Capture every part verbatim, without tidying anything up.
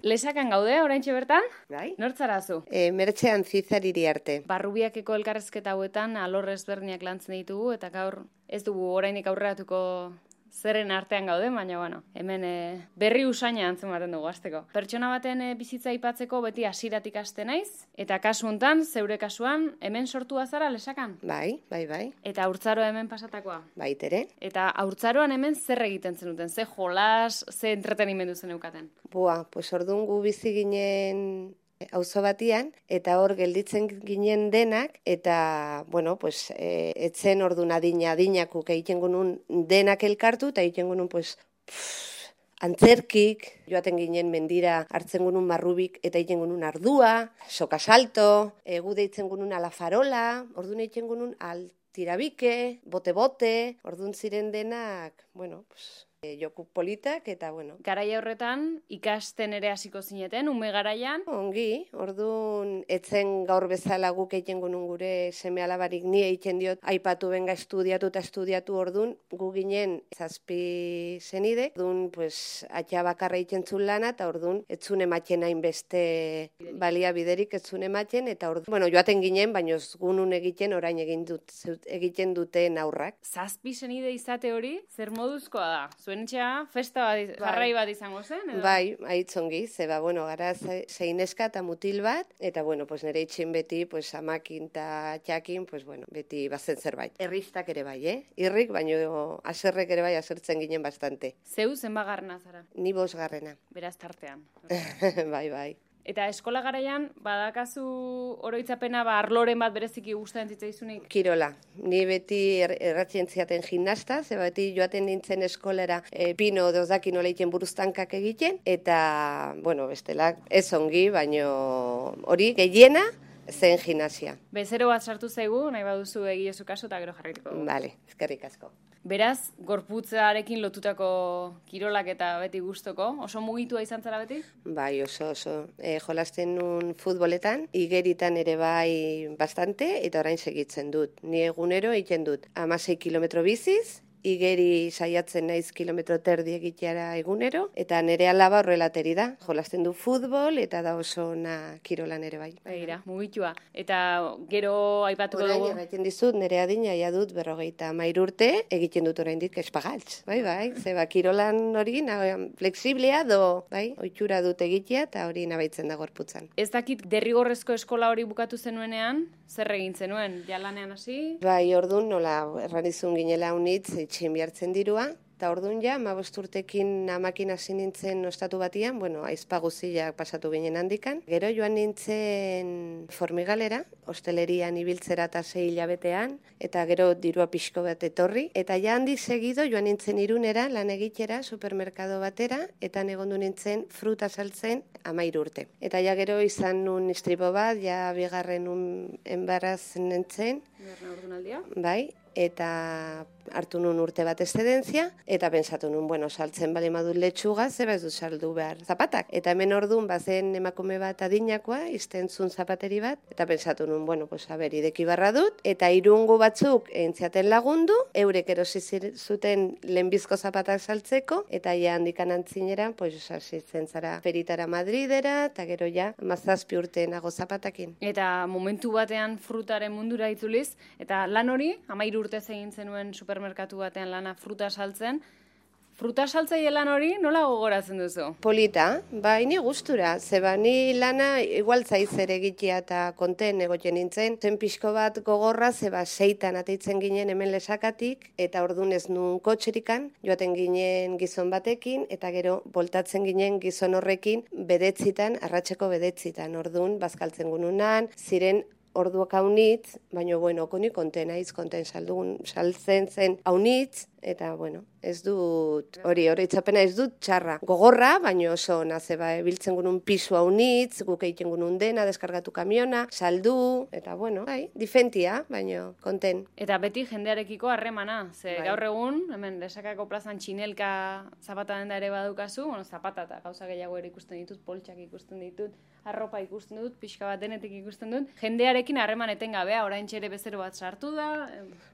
Lesakan gaude, oraintxe bertan? Bai? Nortzarazu? E, Mertxean Zizar iriarte. Barrubiakeko elkarrezketa hauetan alor ezberdinak lantzen ditugu, eta gaur ez dugu orainik aurreratuko zerren artean gaude, baina bueno, hemen e, berri usaina antzematen dugu hasteko. Pertsona baten e, bizitza aipatzeko beti hasiratik haste naiz, eta kasu hontan, zeure kasuan, hemen sortua zara Lesakan? Bai, bai, bai. Eta haurtzaro hemen pasatakoa? Baitere. Eta haurtzaroan hemen zer egiten zenuten? Ze jolas, ze entretenimendu zeneukaten? Bua, pues orduan gu bizi ginen auzo batian, eta hor gelditzen ginen denak, eta, bueno, pues, e, etzen orduan adina, adinakuk egiten gunun denak elkartu, eta egiten gunun, pues, pff, antzerkik, joaten ginen mendira hartzen gunun marrubik, eta egiten gunun ardua, sokasalto, egu deitzen gunun alafarola, orduan egiten gunun altirabike, bote-bote, orduan ziren denak, bueno, pues, E, joku politak, eta bueno. Garaia horretan, ikasten ere hasiko zineten, ume garaian? Ongi, orduan, etzen gaur bezala guk egiten gunun gure seme alabarik ni egiten diot, aipatu benga estudiatu eta estudiatu orduan, gu ginen zazpi zenide, orduan, pues, atxa bakarra egiten zuen lana, eta orduan, etzun ematen hainbeste balia biderik etzun ematen, eta orduan, bueno, joaten ginen, baina ez gunun egiten orain egin dut, egiten duten aurrak. Zazpi zenide izate hori, zer moduzkoa da? Zuen etxea, festa bat, jarrai bat izango zen? Edo? Bai, aitzongi, zeba, bueno, gara zein neska eta mutil bat, eta, bueno, pues nire itxin beti, pues, amakin eta txakin, pues, bueno, beti bazen zerbait. Erristak ere bai, eh? Irrik, baino aserrek ere bai asertzen ginen bastante. Zeu, zenbagarrena zara? Ni bosgarrena. Beraz tartean. Bai, bai. Eta eskola garaian, badakazu oroitzapena, ba, arloren bat bereziki gustatzen zitzaizunik? Kirola. Ni beti er, erratzen ziaten gimnasta, ze beti joaten nintzen eskolera e, pino dozaki nola egiten buruztankak egiten, eta, bueno, bestelak ez ongi, baino hori gehiena zen gimnasia. Bezero bat sartu zaigu, nahi baduzu egiezu kaso, eta gero jarrituko. Vale, eskerrik asko. Beraz, gorputzarekin lotutako kirolak eta beti gustoko, oso mugitua izan zara beti? Bai, oso, oso. E, jolasten nun futboletan, igeritan ere bai bastante, eta orain segitzen dut. Ni egunero egiten dut hamasei kilometro biziz, igeri saiatzen naiz kilometro terdi egiteara egunero, eta nire alaba horrelateri da. Jolasten du futbol, eta da oso na kirolan ere bai. Begira, mugitua. Eta gero aipatuko Orain, dugu... Orain, egiten dizut, nire adina ja dut berrogeita hamairu urte, egiten dut oraindik espagaltz. Bai, bai, zeba kirolan hori, na, flexiblea do, bai, oitxura dut egitea, eta hori nabaitzen da gorputzan. Ez dakit derrigorrezko eskola hori bukatu zenuenean, zer egin zenuen, jalanean hasi? Bai, ordun nola, erranizun ginela unitz, etxin bihartzen dirua, eta ordun ja, amabost urtekin amakin hasi nintzen ostatu batian, bueno, aizpa guztiak pasatu ginen handikan. Gero joan nintzen Formigalera, hostelerian ibiltzera eta sei hilabetean, eta gero dirua pixko bat etorri. Eta ja handi segido joan nintzen Irunera, lan egitera, supermerkado batera, eta negondu nintzen fruta saltzen amairu urte. Eta ja gero izan nun istripo bat, ja bigarren un enbaraz nintzen. Bigarren ordunaldia? Bai, eta hartu nun urte bat eszedentzia, eta pensatu nun, bueno, saltzen bali madut letxuga, zeba ez du saldu behar zapatak. Eta hemen orduan bazen emakume bat adinakoa, izten zun zapateri bat, eta pensatu nun, bueno, pues, haber, ideki barra dut, eta irungu batzuk entziaten lagundu, eurek erosi zuten lehenbizko zapatak saltzeko, eta ja handikan antzinera, pues, hasitzen zara peritara Madridera, eta gero ja, mazazpi urte nago zapatakin. Eta momentu batean frutaren mundura itzuliz, eta lan hori, amairu urte egin zenuen supermerkatu batean lana fruta saltzen, fruta saltzaile lan hori nola gogoratzen duzu? Polita, bai, ni gustura, zeba ni lana igual zaizer egitea eta konten egoten nintzen, zen pixko bat gogorra, zeba seitan ateitzen ginen hemen Lesakatik, eta ordun ez nun kotxerikan, joaten ginen gizon batekin, eta gero boltatzen ginen gizon horrekin bedetzitan, arratseko bedetzitan, ordun bazkaltzen gununan, ziren orduak haunitz, baina, bueno, koni konten aiz, konten saldugun, saltzen zen haunitz, eta, bueno, ez dut, hori, hori itzapena ez dut txarra. Gogorra, baina oso nazeba, biltzen gunun pisu haunitz, guk egiten gunun dena, deskargatu kamiona, saldu, eta, bueno, bai, difentia, baina konten. Eta beti jendearekiko harremana, ze Bai. gaur egun, hemen Lesakako plazan txinelka zapata denda ere badukazu, bueno, zapata eta gauza gehiago ere ikusten ditut, poltsak ikusten ditut, arropa ikusten dut, pixka bat denetik ikusten dut, jendearekin harreman etengabea, oraintxe ere bezero bat sartu da.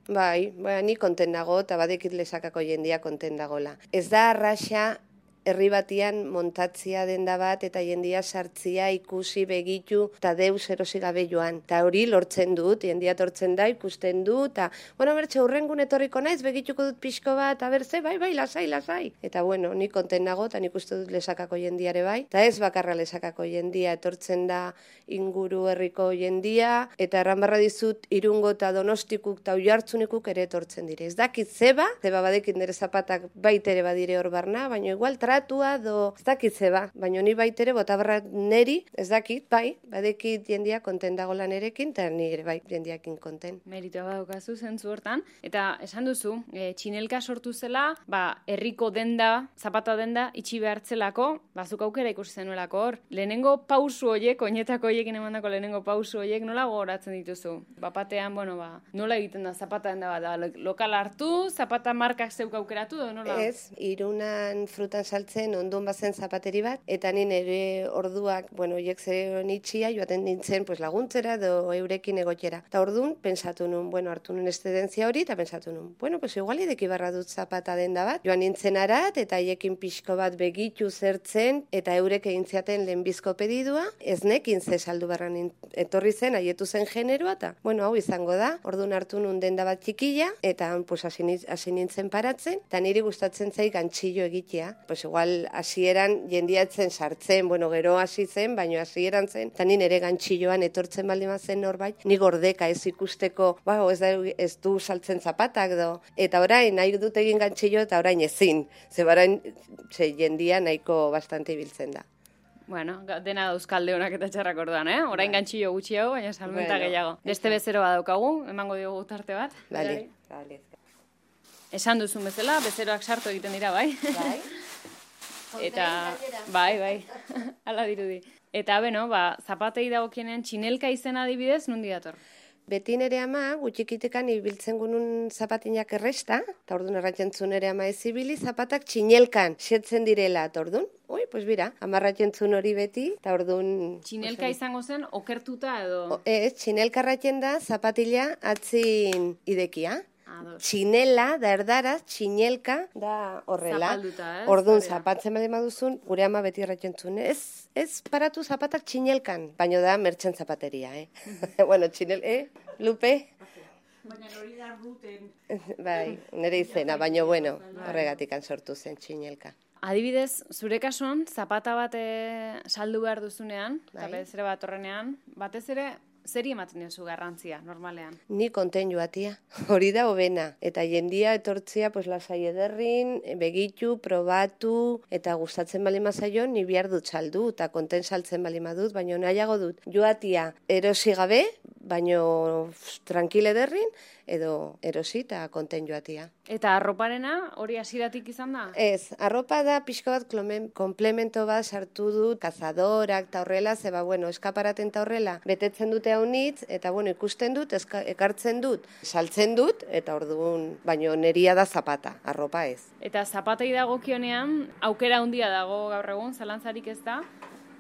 Bai, bai, ni konten nago, eta badekit Lesakako jendia konten dagola. Ez da arraxa herri batian montatzia denda bat, eta jendia sartzia, ikusi, begitu, eta deus erosi gabe joan. Eta hori lortzen dut, jendia tortzen da, ikusten du, eta, bueno, bertxe, hurrengun etorriko naiz, begituko dut pixko bat, eta bertze, bai, bai, lasai, lasai. Eta, bueno, ni konten nago, eta nik uste dut lesakako jendiare bai. Eta ez bakarra lesakako jendia, etortzen da inguru herriko jendia, eta erranbarra dizut, Irungo eta Donostikuk eta Oiartzunikuk ere etortzen dire. Ez dakit zeba, zeba badekit nire zapatak baitere badire hor barna, baina igual tratua do, ez dakit zeba, baina ni baitere botabarra neri, ez dakit, bai, badekit jendia konten dago lan erekin, eta nire bai jendiakin konten. Meritua badaukazu zentzu hortan, eta esan duzu, e, txinelka sortu zela, ba, herriko denda, zapata denda, itxi behartzelako, bazuk aukera ikusi zenuelako hor. Lehenengo pausu horiek, oinetako horiekin emandako lehenengo pausu horiek, nola gogoratzen dituzu? Bapatean, bueno, ba, nola egiten da zapata denda bat, da, lokal hartu, zapata markak zeuk aukeratu, edo nola? Ez, Irunan frutan saltzen ondun bazen zapateri bat, eta ni nire orduak, bueno, hiek zen itxia, joaten nintzen pues, laguntzera edo eurekin egotera. Eta ordun pensatu nun, bueno, hartu nun estedentzia hori, eta pensatu nun, bueno, pues igual ideki barra dut zapata denda bat. Joan nintzen arat, eta haiekin pixko bat begitu zertzen, eta eurek egin ziaten lehenbizko pedidua, ez nekin ze saldu barran etorri zen, haietu zen generoa, eta, bueno, hau izango da, ordun hartu nun denda bat txikila, eta pues, hasi nintzen paratzen, eta niri gustatzen zai gantxillo egitea. Pues igual hasieran jendiatzen sartzen, bueno, gero hasi zen, baino hasieran zen, eta ni nere gantxilloan etortzen baldin bazen norbait, ni gordeka ez ikusteko, ba, ez, da, ez du saltzen zapatak do. Eta orain nahi dut egin gantxillo, eta orain ezin. Ze barain, ze jendia nahiko bastante ibiltzen da. Bueno, dena dauzkalde honak eta txarrak orduan, eh? Orain Bai. gantxillo gutxiago, baina salmenta Bueno, gehiago. Beste bezero badaukagu, emango diogu tarte bat. Bale, bale. Esan duzun bezala, bezeroak sartu egiten dira, bai? Bai. Eta, bai, bai, ala dirudi. Eta, beno, ba, zapatei dagokienean txinelka izena adibidez, nundi dator? Beti nere ama, gutxikitekan ibiltzen gunun zapatinak erresta, eta orduan erratzen nere ama ez ibili, zapatak txinelkan setzen direla, eta orduan, oi, pues bira, amarratzen zuen hori beti, eta orduan... Txinelka izango zen, okertuta edo... O, ez, txinelka erratzen da, zapatila atzin idekia. Ados. Txinela, da erdaraz, txinelka, da horrela. Zapalduta, ez? Orduan, Hori da. zapatzen bade maduzun, gure ama beti erratzen zuen, ez, ez paratu zapatak txinelkan, baino da mertxen zapateria, eh? Bueno, txinel, eh, Lupe? Baina hori da ruten. Bai, nire izena, baino bueno, horregatik sortu zen txinelka. Adibidez, zure kasuan, zapata bat eh, saldu behar duzunean, eta Bai. bezere bat horrenean, batez ere, zeri ematen diozu garrantzia, normalean? Ni konten joatia, hori da hobena. Eta jendia etortzia, pues, lasai ederrin, begitu, probatu, eta gustatzen bali mazaio, ni bihar dut saldu, eta konten saltzen bali madut, baina nahiago dut. Joatia erosi gabe, baino tranquil ederrin, edo erosi eta konten joatia. Eta arroparena hori hasieratik izan da? Ez, arropa da pixko bat klomen, komplemento bat sartu dut, kazadorak eta horrela, zeba, bueno, eskaparaten eta horrela, betetzen dute haunitz, eta bueno, ikusten dut, eska, ekartzen dut, saltzen dut, eta orduan, baino neria da zapata, arropa ez. Eta zapatei dagokionean, aukera handia dago gaur egun, zalantzarik ez da.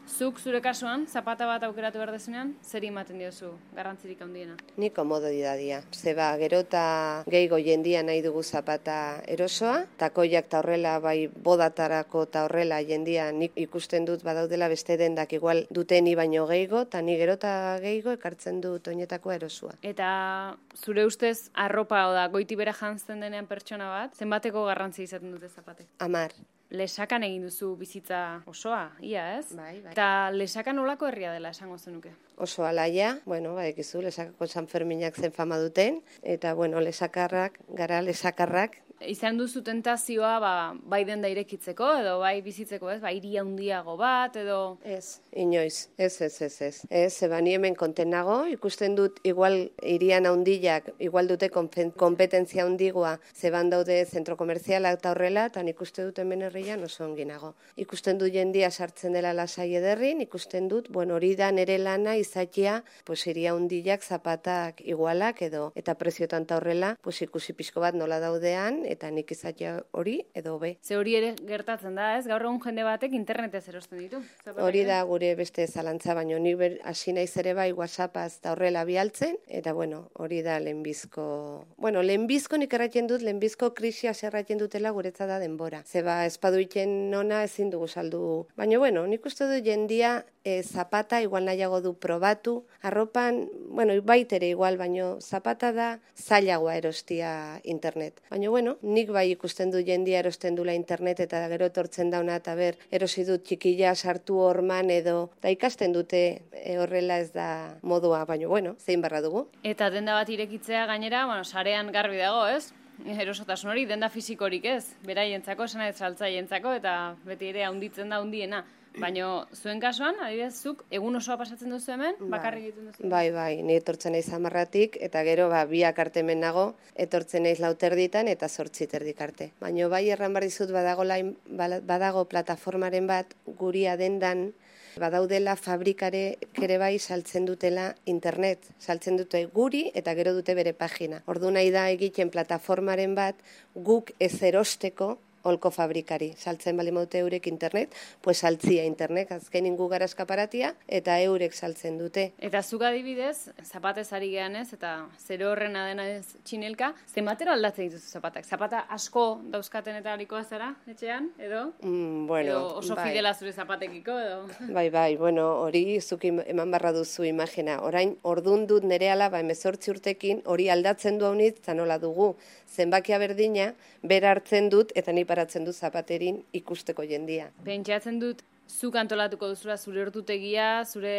Zuk zure kasuan, zapata bat aukeratu behar dezunean, zeri ematen diozu, garrantzirik handiena? Ni komoditatea. Zeba, gero eta gehiago jendia nahi dugu zapata erosoa, takoiak eta horrela, bai bodatarako eta horrela jendia nik ikusten dut badaudela beste dendak igual duteni baino gehiago, eta ni gero eta gehiago ekartzen dut oinetakoa erosua. Eta zure ustez, arropa oda goiti bera jantzten denean pertsona bat, zenbateko garrantzi izaten dute zapatek? Amar. Lesakan egin duzu bizitza osoa, ia ez? Bai, bai. Eta lesakan olako herria dela esango zenuke? Oso alaia, bueno, badekizu, lesakako San Ferminak zen fama duten, eta, bueno, lesakarrak, gara lesakarrak. Izan duzu tentazioa, ba, bai denda irekitzeko, edo bai bizitzeko, ez? Ba, hiri handiago bat, edo... Ez, inoiz, ez, ez, ez, ez. Ez, zeba ni hemen konten nago, ikusten dut, igual irian handiak, igual dute kompetentzia handigoa, zeban daude zentro komerziala eta horrela, eta nik uste dut hemen herrian oso ongi nago. Ikusten dut jendia sartzen dela lasai ederrin, ikusten dut, bueno, hori da nere lana izatea, pues iria handiak zapatak igualak edo, eta preziotan eta horrela, pues ikusi pixko bat nola daudean, eta nik izatea hori edo be. Ze hori ere gertatzen da, ez? Gaur egun jende batek internetez erosten ditu. Zapatak Hori ere? da gure beste zalantza, baino ni ber- hasi naiz ere bai WhatsAppaz eta horrela bialtzen, eta bueno, hori da lehenbizko... Bueno, lehenbizko nik erraten dut, lehenbizko krisia zerraten dutela guretzat da denbora. Zeba, espaduiten nona ezin dugu saldu. Baina bueno, nik uste du jendia e, zapata igual nahiago du probatu, arropan, bueno, baitere igual, baino zapata da zailagoa erostia internet. Baina bueno, nik bai ikusten du jendia erosten dula internet eta gero etortzen dauna eta ber, erosi dut txikila sartu horman edo, da ikasten dute e, horrela ez da modua, baina bueno, zein barra dugu. Eta denda bat irekitzea gainera, bueno, sarean garbi dago, ez? Erosotasun hori, denda fizikorik ez, beraientzako, esana ez saltzaientzako, eta beti ere handitzen da handiena. Baina zuen kasuan, adibidez, zuk egun osoa pasatzen duzu hemen, bakarrik egiten duzu? Bai, bai, ni etortzen naiz hamarratik, eta gero ba, biak arte hemen nago, etortzen naiz lauterditan eta zortzi terdik arte. Baina bai erran bar dizut badago, lain, badago plataformaren bat guria dendan, badaudela fabrikare kere bai saltzen dutela internet, saltzen dute guri eta gero dute bere pagina. Ordu nahi da egiten plataformaren bat guk ez erosteko holko fabrikari. Saltzen bali maute eurek internet, pues saltzia internet, azken ingu gara eskaparatia, eta eurek saltzen dute. Eta zuk adibidez, zapatez ari gehan ez, eta zero horrena dena ez txinelka, zenbatero aldatzen dituzu zapatak? Zapata asko dauzkaten eta harikoa zara, etxean, edo? Mm, bueno, edo oso bai. fidela zure zapatekiko, edo? Bai, bai, bueno, hori zuk eman barra duzu imagina. Orain, ordun dut nere alaba emezortzi urtekin, hori aldatzen du haunitz, eta nola dugu. Zenbakia berdina, bera hartzen dut, eta ni paratzen du zapaterin ikusteko jendia. Pentsatzen dut, zuk antolatuko duzula zure ordutegia, zure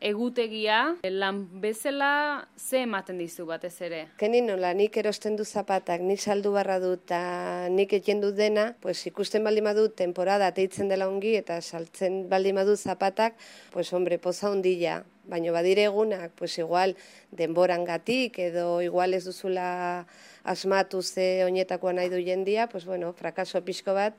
egutegia, lan bezala ze ematen dizu batez ere? Kenin nola, nik erosten du zapatak, nik saldu barra dut, eta nik eten dut dena, pues ikusten baldin badut temporada teitzen dela ongi, eta saltzen baldin badut zapatak, pues hombre, poza ondila. Baina badire egunak, pues igual denborangatik edo igual ez duzula asmatu ze oinetakoa nahi du jendia, pues bueno, frakaso pixko bat,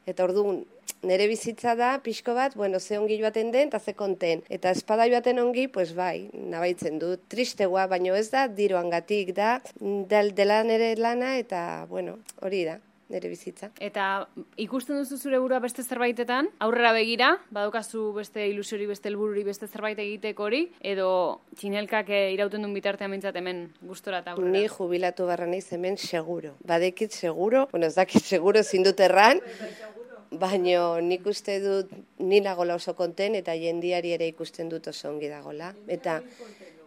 eta orduan nire bizitza da pixko bat, bueno, ze ongi joaten den eta ze konten. Eta espada joaten ongi, pues bai, nabaitzen dut, tristegoa, baina ez da diroangatik da, del, dela nire lana eta, bueno, hori da. Nire bizitza. Eta ikusten duzu zure burua beste zerbaitetan, aurrera begira, badaukazu beste ilusiori, beste helbururi, beste zerbait egiteko hori, edo txinelkak irauten duen bitartean mintzat hemen gustora eta aurrera? Ni jubilatu barra naiz hemen seguro. Badekit seguro, bueno, ez dakit seguro zindut erran, baina nik uste dut ni nagola oso konten eta jendiari ere ikusten dut oso ongi dagola. Eta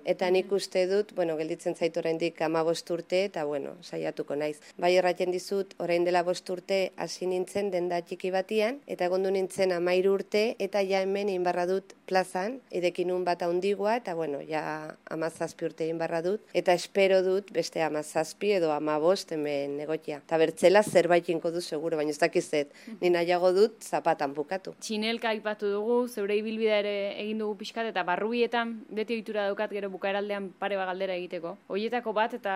Eta nik uste dut, bueno, gelditzen zait oraindik hamabost urte, eta bueno, saiatuko naiz. Bai erraten dizut, orain dela bost urte hasi nintzen denda txiki batian, eta egondu nintzen hamairu urte, eta ja hemen inbarra dut plazan, edekinun bat handigua, eta bueno, ja hamazazpi urte inbarra dut, eta espero dut beste hamazazpi edo hamabost hemen egotia. Eta bertzela zerbait inko du seguro, baina ez dakizet, ni nahiago dut zapatan bukatu. Txinelka aipatu dugu, zeure ibilbidea ere egin dugu pixkat, eta barrubietan beti ohitura daukat gero bukaeraldean pare bat galdera egiteko. Hoietako bat eta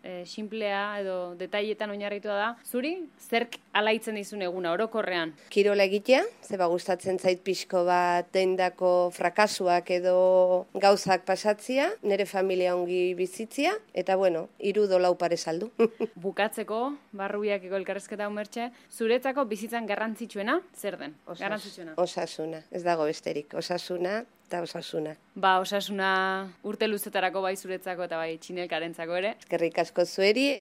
e, simplea edo detailetan oinarritua da. Zuri, zerk alaitzen dizun eguna orokorrean? Kirola egitea, zeba gustatzen zait pixko bat dendako frakasuak edo gauzak pasatzia, nire familia ongi bizitzia, eta bueno, hiru dolau pare saldu. Bukatzeko, barrubiakeko elkarrezketa umertxe, zuretzako bizitzan garrantzitsuena, zer den? Osas, Garrantzitsuena. Osasuna, ez dago besterik, osasuna eta osasuna. Ba, osasuna urte luzetarako bai zuretzako eta bai txinelkarentzako ere. Eskerrik asko zueri.